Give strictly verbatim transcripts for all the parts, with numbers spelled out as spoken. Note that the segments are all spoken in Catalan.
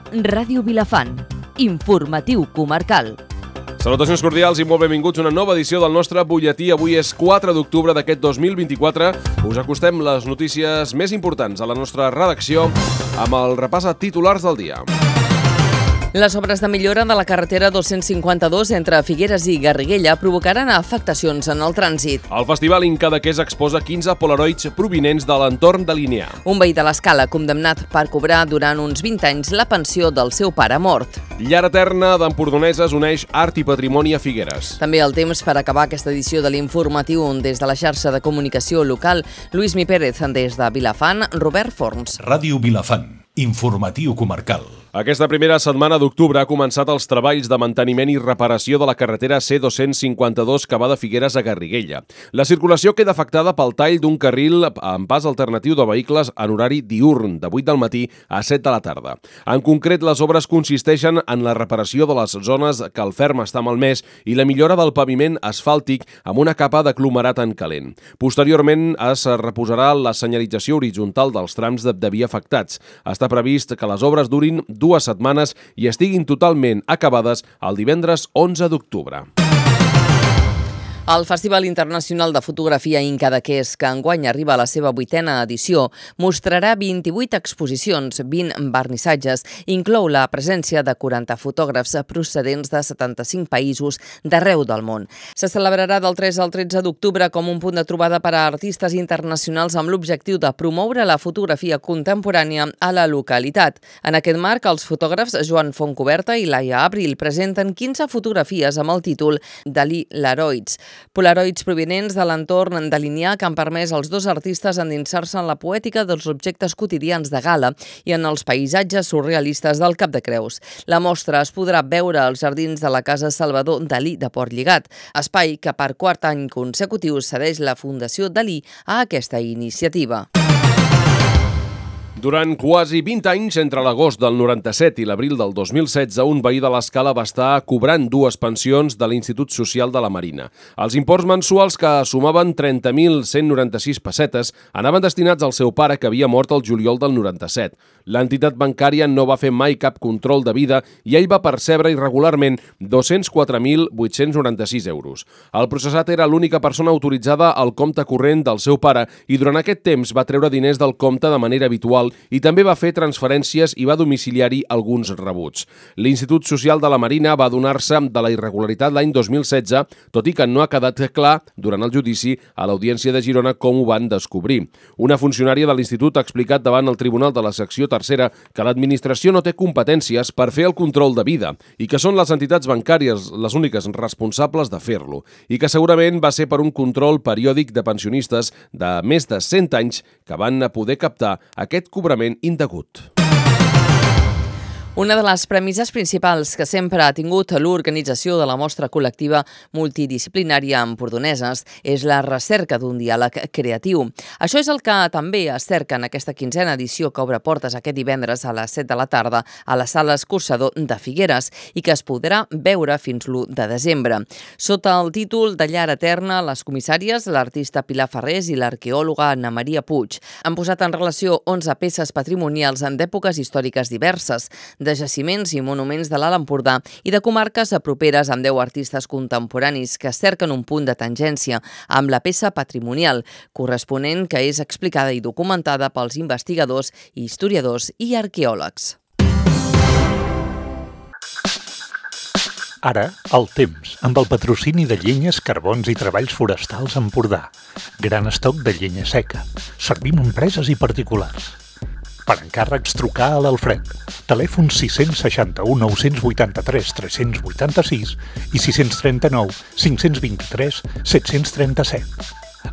Ràdio Vilafant, informatiu comarcal. Salutacions cordials i molt benvinguts a una nova edició del nostre butlletí. Avui és quatre d'octubre d'aquest dos mil vint-i-quatre. Us acostem les notícies més importants a la nostra redacció amb el repàs a titulars del dia. Les obres de millora de la carretera dos-cents cinquanta-dos entre Figueres i Garriguella provocaran afectacions en el trànsit. El Festival Incadaqués exposa quinze polaroids provinents de l'entorn de Lineà. Un veí de l'Escala condemnat per cobrar durant uns vint anys la pensió del seu pare mort. Llar Eterna d'Empordoneses uneix art i patrimoni a Figueres. També el temps per acabar aquesta edició de l'informatiu des de la xarxa de comunicació local. Lluís Mi Pérez des de Vilafant, Robert Forns. Ràdio Vilafant, informatiu comarcal. Aquesta primera setmana d'octubre ha començat els treballs de manteniment i reparació de la carretera C dos-cents cinquanta-dos que va de Figueres a Garriguella. La circulació queda afectada pel tall d'un carril amb pas alternatiu de vehicles en horari diürn, de vuit del matí a set de la tarda. En concret, les obres consisteixen en la reparació de les zones que el ferm està malmès i la millora del paviment asfàltic amb una capa d'aglomerat en calent. Posteriorment es reposarà la senyalització horitzontal dels trams de, de via afectats. Està previst que les obres durin dues setmanes i estiguin totalment acabades el divendres onze d'octubre. El Festival Internacional de Fotografia Incadaqués, que enguany arriba a la seva vuitena edició, mostrarà vint-i-vuit exposicions, vint vernissatges, inclou la presència de quaranta fotògrafs procedents de setanta-cinc països d'arreu del món. Se celebrarà del tres al tretze d'octubre com un punt de trobada per a artistes internacionals amb l'objectiu de promoure la fotografia contemporània a la localitat. En aquest marc, els fotògrafs Joan Fontcoberta i Laia Abril presenten quinze fotografies amb el títol Dalí Laroids. Polaroids provinents de l'entorn de Lineà que han permès als dos artistes endinsar-se en la poètica dels objectes quotidians de gala i en els paisatges surrealistes del Cap de Creus. La mostra es podrà veure als jardins de la Casa Salvador Dalí de Portlligat, espai que per quart any consecutiu cedeix la Fundació Dalí a aquesta iniciativa. Durant quasi vint anys, entre l'agost del noranta-set i l'abril del dos mil setze, un veí de l'Escala va estar cobrant dues pensions de l'Institut Social de la Marina. Els imports mensuals, que sumaven trenta mil cent noranta-sis pessetes, anaven destinats al seu pare, que havia mort el juliol del noranta-set. L'entitat bancària no va fer mai cap control de vida i ell va percebre irregularment dos-cents quatre mil vuit-cents noranta-sis euros. El processat era l'única persona autoritzada al compte corrent del seu pare i durant aquest temps va treure diners del compte de manera habitual i també va fer transferències i va domiciliar-hi alguns rebuts. L'Institut Social de la Marina va adonar-se de la irregularitat l'any dos mil setze, tot i que no ha quedat clar durant el judici a l'Audiència de Girona com ho van descobrir. Una funcionària de l'Institut ha explicat davant el Tribunal de la Secció Tercera que l'administració no té competències per fer el control de vida i que són les entitats bancàries les úniques responsables de fer-lo i que segurament va ser per un control periòdic de pensionistes de més de cent anys que van poder captar aquest cobrament indegut. Una de les premisses principals que sempre ha tingut l'organització de la mostra col·lectiva multidisciplinària empordoneses és la recerca d'un diàleg creatiu. Això és el que també es cerca en aquesta quinzena edició que obre portes aquest divendres a les set de la tarda a la Sala Escorxador de Figueres i que es podrà veure fins l'u de desembre. Sota el títol de Llar Eterna, les comissàries, l'artista Pilar Ferrés i l'arqueòloga Anna Maria Puig han posat en relació onze peces patrimonials en d'èpoques històriques diverses, de jaciments i monuments de l'Alt Empordà i de comarques properes amb deu artistes contemporanis que cerquen un punt de tangència amb la peça patrimonial corresponent que és explicada i documentada pels investigadors, historiadors i arqueòlegs. Ara, el temps, amb el patrocini de llenyes, carbons i treballs forestals Empordà. Gran estoc de llenya seca. Servim empreses i particulars. Per encàrrecs, trucar a l'Alfred. Telèfon sis sis u, nou vuit tres, tres vuit sis i sis tres nou, cinc dos tres, set tres set.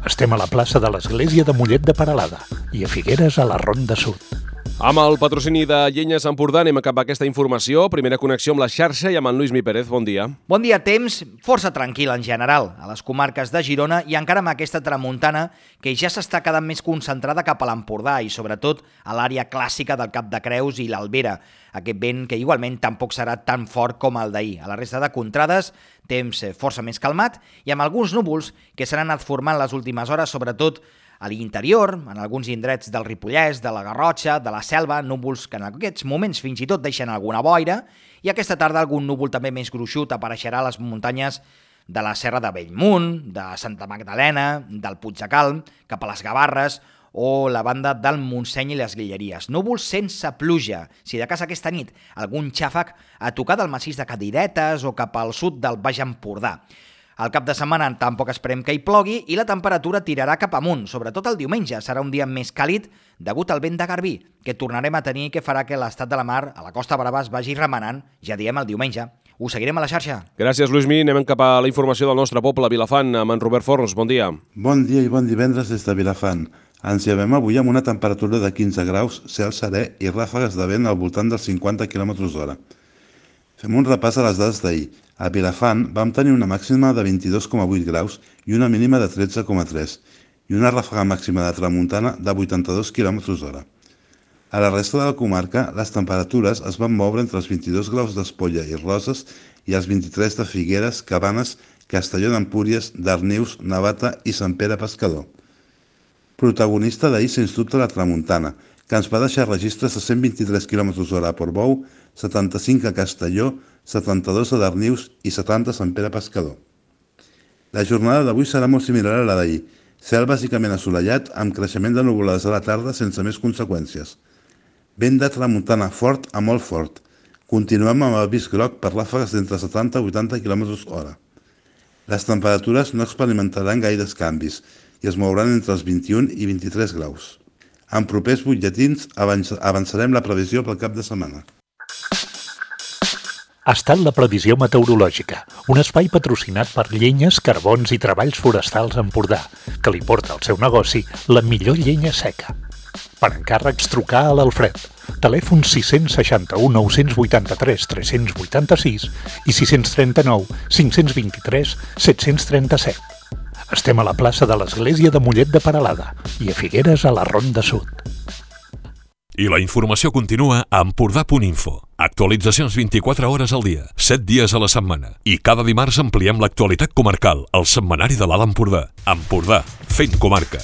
Estem a la plaça de l'Església de Mollet de Peralada i a Figueres a la Ronda Sud. Amb el patrocini de Llenyes Empordà anem a acabar aquesta informació. Primera connexió amb la xarxa i amb en Lluís Mi Pérez. Bon dia. Bon dia. Temps força tranquil en general a les comarques de Girona i encara amb aquesta tramuntana que ja s'està quedant més concentrada cap a l'Empordà i sobretot a l'àrea clàssica del Cap de Creus i l'Albera. Aquest vent que igualment tampoc serà tan fort com el d'ahir. A la resta de contrades, temps força més calmat i amb alguns núvols que s'han anat formant les últimes hores, sobretot A l'interior, en alguns indrets del Ripollès, de la Garrotxa, de la Selva, núvols que en aquests moments fins i tot deixen alguna boira, i aquesta tarda algun núvol també més gruixut apareixerà a les muntanyes de la Serra de Bellmunt, de Santa Magdalena, del Puig de Calm, cap a les Gavarres o la banda del Montseny i les Guilleries. Núvols sense pluja. Si de cas aquesta nit algun xàfec a tocar del massís de Cadiretes o cap al sud del Baix Empordà. Al cap de setmana tampoc esperem que hi plogui i la temperatura tirarà cap amunt, sobretot el diumenge. Serà un dia més càlid degut al vent de Garbí, que tornarem a tenir i que farà que l'estat de la mar a la Costa Brava es vagi remenant, ja diem el diumenge. Ho seguirem a la xarxa. Gràcies, Luismi. Anem cap a la informació del nostre poble, Vilafant, amb en Robert Forns. Bon dia. Bon dia i bon divendres des de Vilafant. Ens llevem avui amb una temperatura de quinze graus, cel serè i ràfegues de vent al voltant dels cinquanta quilòmetres hora. Fem un repàs a les dades d'ahir. A Vilafant vam tenir una màxima de vint-i-dos coma vuit graus i una mínima de tretze coma tres i una ràfega màxima de tramuntana de vuitanta-dos quilòmetres hora. A la resta de la comarca, les temperatures es van moure entre els vint-i-dos graus d'Espolla i Roses i els vint-i-tres de Figueres, Cabanes, Castelló d'Empúries, Darnius, Navata i Sant Pere Pescador. Protagonista d'ahir, sens dubte, la tramuntana, que ens va deixar registres de cent vint-i-tres quilòmetres hora a Portbou, setanta-cinc a Castelló, setanta-dos a Darnius i setanta a Sant Pere Pescador. La jornada d'avui serà molt similar a la d'ahir, cel bàsicament assolellat amb creixement de nuvolades a la tarda sense més conseqüències. Vent de tramuntana fort a molt fort. Continuem amb avís groc per ràfegues d'entre setanta a vuitanta quilòmetres hora. Les temperatures no experimentaran gaires canvis i es mouran entre els vint-i-un i vint-i-tres graus. En propers butlletins avançarem la previsió pel cap de setmana. Ha estat la previsió meteorològica, un espai patrocinat per Llenyes, Carbons i Treballs Forestals Empordà, que li porta al seu negoci la millor llenya seca. Per encàrrecs, trucar a l'Alfred. Telèfon sis seixanta-u nou vuitanta-tres tres vuitanta-sis i sis trenta-nou cinc vint-i-tres set trenta-set. Estem a la plaça de l'Església de Mollet de Peralada i a Figueres a la Ronda Sud. I la informació continua a empordà punt info. Actualitzacions vint-i-quatre hores al dia, set dies a la setmana. I cada dimarts ampliem l'actualitat comarcal, al setmanari de l'Alt Empordà. Empordà, fent comarca.